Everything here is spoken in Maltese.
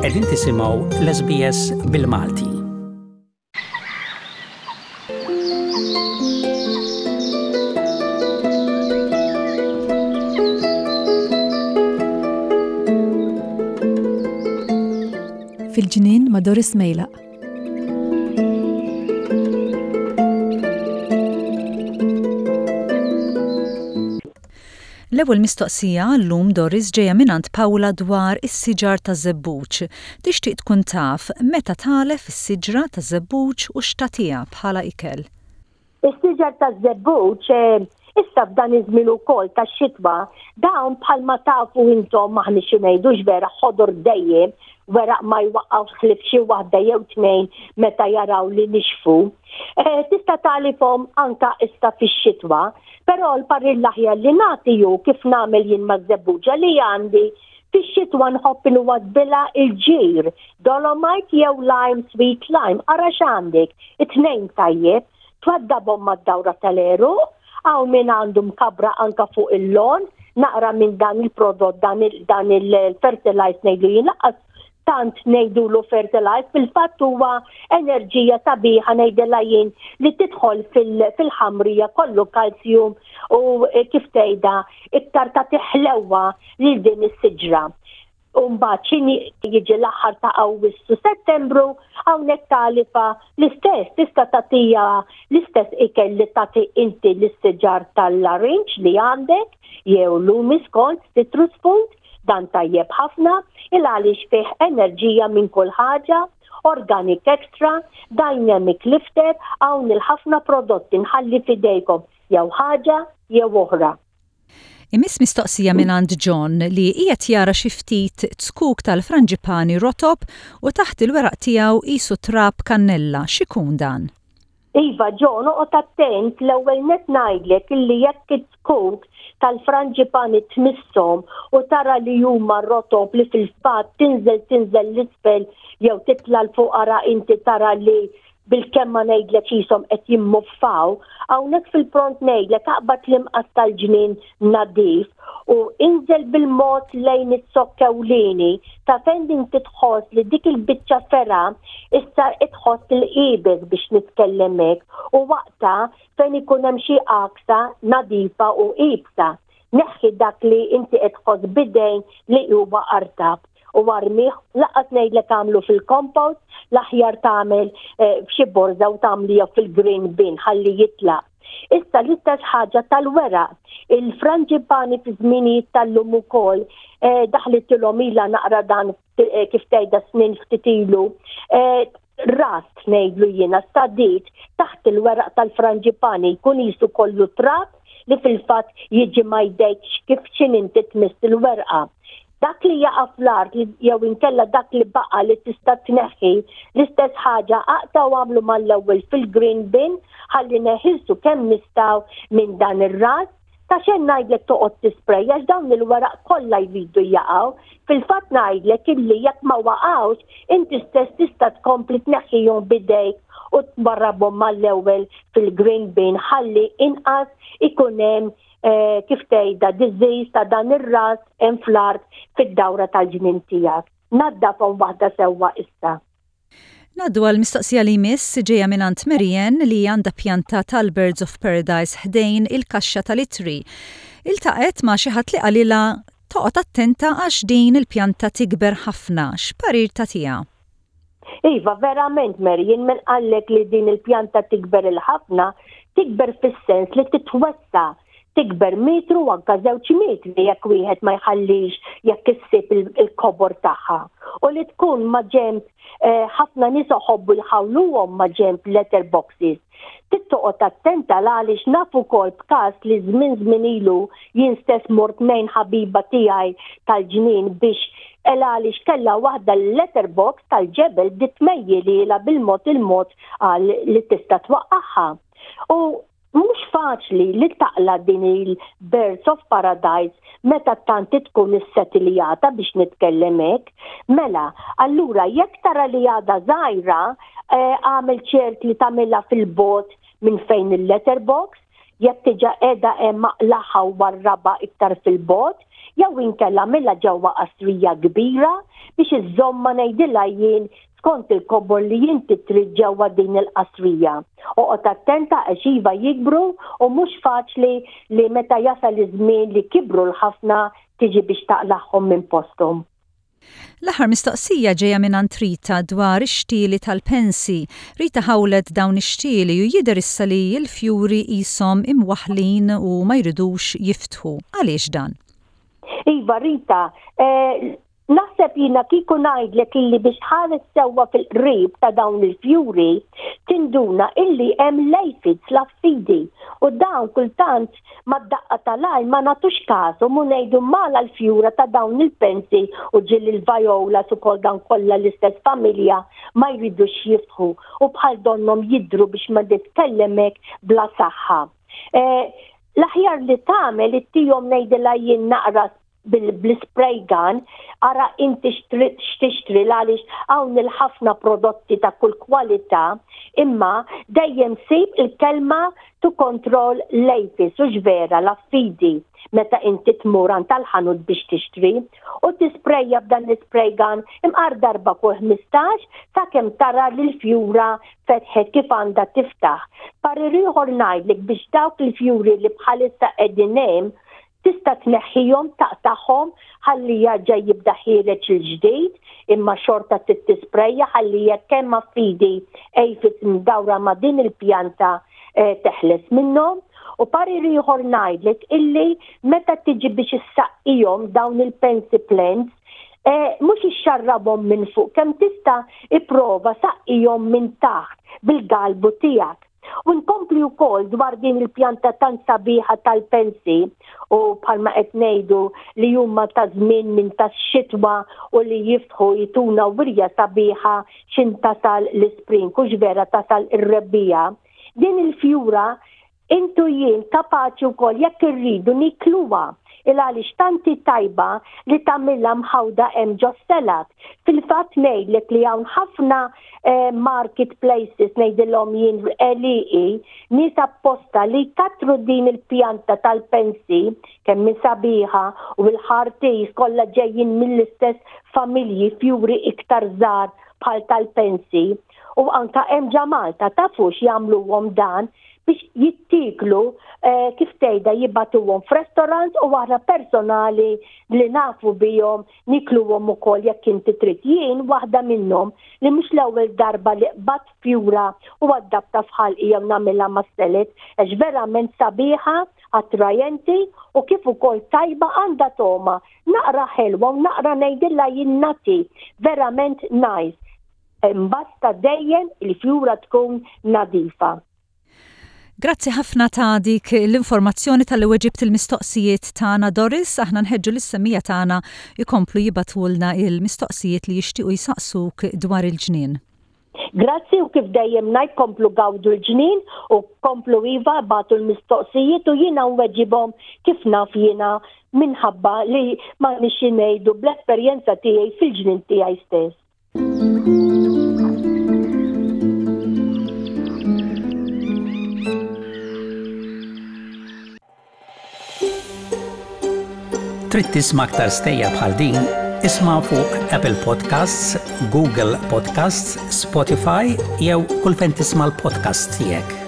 Qegħdin tisimgħu l-SBS bil-Malti. Fil-ġnien ma' Doris Mejlaq. L-ewwel mistoqsija għal-lum Doris ġejja mingħand Paula dwar is-siġar taż-żebbuġ. Tixtieq tkun taf meta tagħlef is-siġra taż-żebbuġ u x'tagħtiha bħala ikel. Is-siġar taż-żebbuġ issa f'dan iż-żmien ukoll tax-xitwa dawn bħalma tafu intom aħniex xi ngħidu vera ħodor dejjem weraq ma jwaqqgħux ħlief xi waħda jew tnejn meta jaraw li nixfu. Eh, tista' tagħlifhom anka issa fix-xitwa, però l-parir l-aħjar li nagħti hu kif nagħmel jien maż-żebbuġa li għandi fix-xitwa nħobb inwaddbilha il-ġir, dolomite jew lime sweet lime, ara x'għandek, it-tnejn tajjeb, twaddabhom mad-dawra tal-għeruq, hawn min għandu mkabbra anka fuq il-lon, naqra minn dan il-prodott dan il-fertilize ngħidu jien laqqas tant ngħidulu fertilize, fil-fatt huwa enerġija sabiħa ngħidilha jien li tidħol fil-ħamrija kollu kalzjum u kif tgħidha iktar tagħti ħlewwa lil din is-siġra. U mbagħad x'inhi jiġi l-aħħar ta' Awwissu Settembru hawnhekk tagħlifa l-istess tista' tagħtiha l-istess ikel li tagħti inti lis-siġar tal-larinġ li għandek jew lumi skont citrus food dan tajjeb ħafna il għaliex fih enerġija minn kull ħaġa organic extra, dynamic lifter, hawn il-ħafna prodotti nħalli f'idejkom jew ħaġa jew oħra. Imiss mistoqsija mingħand John li qiegħed jara xi ftit zkuk tal-franġipani rotob u taħt il-weraq tiegħu qisu trab kannella. X'ikun dan? Iva John, oqgħod attent, l-ewwel nett ngħidlek illi jekk iz-zkuk tal-franġipani tmisshom u tara li huma rotob li fil-fatt tinżel tinżel 'l isfel jew titla' 'l fuq ara inti tara li bilkemm ma ngħidlek qishom qed jimmuffaw, hawnhekk fil-pront ngħidlek aqbad l-imqass tal-ġnien nadif u inżel bil-mod lejn iz-zokk ewlieni ta' fejn inti tħoss li dik il-biċċa fergħa issa tħoss il-qiebes biex nitkellem hekk u waqta' fejn ikun hemm xi għaksa nadifa u iebsa. Neħħi dak li inti qed tħoss b'idejn li huwa artab u armih, lanqas ngħidlek agħmlu fil-compost, l-aħjar tagħmel eh, f'xi borża u tagħmliha fil-green bin ħalli jitlaq. Issa l-istess ħaġa tal-weraq. Il-franġipani fi żminijiet tal-lum ukoll eh, daħlitilhom ilha naqra dan eh, kif tgħidha snin ftit ilu, eh, rast ngħidlu jiena sadit taħt il-weraq tal-franġipani jkun jisu kollu trab li fil-fatt jiġi ma jdejkx kif x'in inti tmiss il-werqa. Dak li jaqa' fl-art jew inkella dak li baqa' li tista' tneħħi, l-istess ħaġa aqta' u għamlu mal-ewwel fil-green bin ħalli neħilsu kemm nistgħu minn dan ir-ras Ta' xejn ngħidlek toqgħod tisprejja għax dawn il-weraq kollha jridu jaqgħu. Fil-fatt ngħidlek illi jekk ma waqgħux, inti stess tista' tkompli tneħħihom b'idejk u twarrabhom mal-ewwel fil-green bin ħalli inqas ikun hemm eh, kif tgħidha disease ta' dan ir-ras hemm fl-art fid-dawra tal-ġnien tiegħek. Naddafhom waħda sewwa issa. Ngħaddu għall-mistoqsija li jmiss ġejja mingħand Marianne li għandha pjanta tal-Birds of Paradise ħdejn il-kaxxa tal-ittri. Iltaqgħet ma' xi ħadd li qalilha toqgħod attenta għax din il-pjanta tikber ħafna. X'parir tagħtiha? Iva, verament Marianne, min qallek li din il-pjanta tikber il-ħafna, tikber fis-sens li titwessa' tikber metru u anka żewġ metri jekk wieħed ma jħallix jekk issib il-kobor tagħha. U li tkun ma' ġenb eh, ħafna nies oħobbu jħawluhom ma' ġenb letter boxes. Trid toqgħod attenta għaliex naf ukoll b'każ li żmien żmien ilu jien stess mort ngħin ħabiba tiegħi tal-ġnien biex el għaliex kellha waħda l-letter box tal-ġebel bdiet tmejji lilha bil-mod il-mod għal li tista' twaqqagħha. U Mhux faċli li taqla' din il-Birds of Paradise meta tant tkun issetiljata biex nitkellem hekk. Mela, allura jekk tara li għadha żgħira, eh, agħmel ċert li tagħmilha fil-bogħod minn fejn il-letterbox, jekk diġà qiegħda hemm aqlagħha u warrabha iktar fil-bogħod. Jew inkella agħmilha ġewwa qasrija kbira biex iżżommha ngħidilha jien skont il-kobor li inti trid ġewwa din il-qasrija. Oqgħod attenta għax iva jikbru u mhux faċli li meta jasal iż-żmien li kibru l-ħafna tiġi biex taqlagħhom minn posthom. L-aħħar mistoqsija ġejja mingħand Rita dwar ix-xtieli tal-pensi. Rita ħawlet dawn ix-xtieli u jidher issa li l-fjuri qishom imwaħħlin u ma jridux jiftħu. Għaliex dan? Iva Rita, eh, Naħseb jiena kieku ngħidlek illi biex tħares sewwa fil-qrib ta' dawn il-fjuri, tinduna illi hemm l-aphids, l-affidi, u dawn kultant mad-daqqa tal-għajn ma nagħtux kashom u ngħidu mala l-fjura ta' dawn il-pensi u ġieli l-violas ukoll dawn kollha l-istess familja ma jridux jiftħu u bħal donnhom jidhru biex ma nitkellem hekk bla saħħa. L-aħjar li tagħmel ittihom ngħidilha jien naqra bl-ispray gun, ara inti x'tixtri għaliex hawn il-ħafna prodotti ta' kull kwalità, imma dejjem sib il-kelma to control l-apis, hux vera, l-affidi, meta inti tmur għand tal-ħanut biex tixtri, u tisprejja b'dan l-ispray gun imqar darba kull 15 sakemm tara li l-fjura fetħet kif għandha tiftaħ. Parir ieħor ngħidlek biex dawk il-fjuri li bħalissa qegħdin hemm Tista' tneħħihom, taqtagħhom ħalli jarġa' jibda ħiereġ il-ġdid, imma xorta trid tisprejja ħalli jekk hemm affidi aphids mdawra ma' din il-pjanta teħles minnhom. U parir ieħor ngħidlek illi meta tiġi biex issaqqihom dawn il-pansy plants, mhux ixxarrabhom minn fuq, kemm tista' ipprova saqqihom minn taħt bil-galbu tiegħek. U nkompli wkoll dwar din il-pjanta tant sabiħa tal-pensi u bħalma qed ngħidu li huma ta' żmien minn tax-xitwa u li jiftħu jtuna wirja sabiħa x'in tasal l-ispring hux vera tasal ir-rebbiegħa. Din il-fjura Int u jien kapaċi wkoll jekk irridu nikluha il għaliex tant hi tajba li tagħmilha mħawda hemm ġos-salad. Fil-fatt ngħidlek li hawn ħafna market places ngħidilhom jien għelieqi, nies apposta li jkattru din il-pjanta tal-pensi kemm hi sabiħa u l-ħartis kollha ġejjin mill-istess familji fjuri iktar żgħar bħal tal-pensi u anka hemm ġa Malta tafux jagħmluhom dan biex jittieklu kif tgħidha jibagħtuhom f'restaurants u aħna personali li nafu bihom nikluhom ukoll jekk inti trid. Jien waħda minnhom li mhux l-ewwel darba li qbadt fjura u għaddabtha f'ħalqi jew nagħmilha mas-salad għax verament sabiħa, attrajenti u kif ukoll tajba għandha togħma naqra ħelwa u naqra ngħidilha jien nutty, verament nice. Basta dejjem il-fjura tkun nadifa. Grazzi ħafna ta' dik l-informazzjoni talli weġibt il-mistoqsijiet tagħna Doris, aħna nħeġġu lis-semmiegħa tagħna jkomplu jibagħtulna il-mistoqsijiet li jixtiequ jsaqsuk dwar il-ġnien. Grazzi u kif dejjem ngħid komplu gawdu l-ġnien u komplu iva ibagħtu l-mistoqsijiet u jiena nweġibhom kif naf jiena minħabba li m'għandniex xi ngħidu bl-esperjenza tiegħi fil-ġnien tiegħi stess. Trid tisma' aktar stejjer bħal din? Isma' fuq Apple Podcasts, Google Podcasts, Spotify jew kull fejn tisma' l-podcasts tiegħek.